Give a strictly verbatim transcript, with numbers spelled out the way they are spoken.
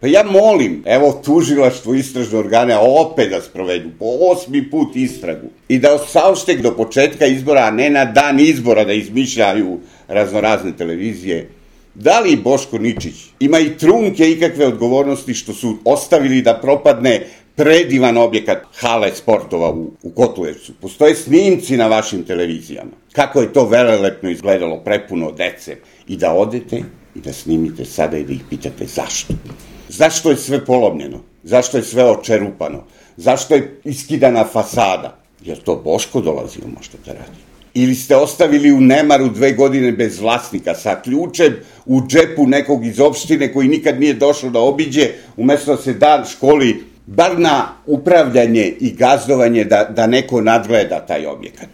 Pa ja molim, evo tužilaštvo, istražne organe, a opet da sprovedu po osmi put istragu i da saopšte do početka izbora, a ne na dan izbora da izmišljaju raznorazne televizije. Da li Boško Ničić ima i trunke ikakve odgovornosti što su ostavili da propadne predivan objekat hale sportova u, u Kotulevcu? Postoje snimci na vašim televizijama. Kako je to velelepno izgledalo, prepuno dece. I da odete i da snimite sada i da ih pitate zašto. Zašto je sve polomljeno? Zašto je sve očerupano? Zašto je iskidana fasada? Jer to Boško dolazio možda da radi? Ili ste ostavili u nemaru dve godine bez vlasnika sa ključem u džepu nekog iz opštine koji nikad nije došao da obiđe, umesto da se da školi bar na upravljanje i gazdovanje da, da neko nadgleda taj objekat?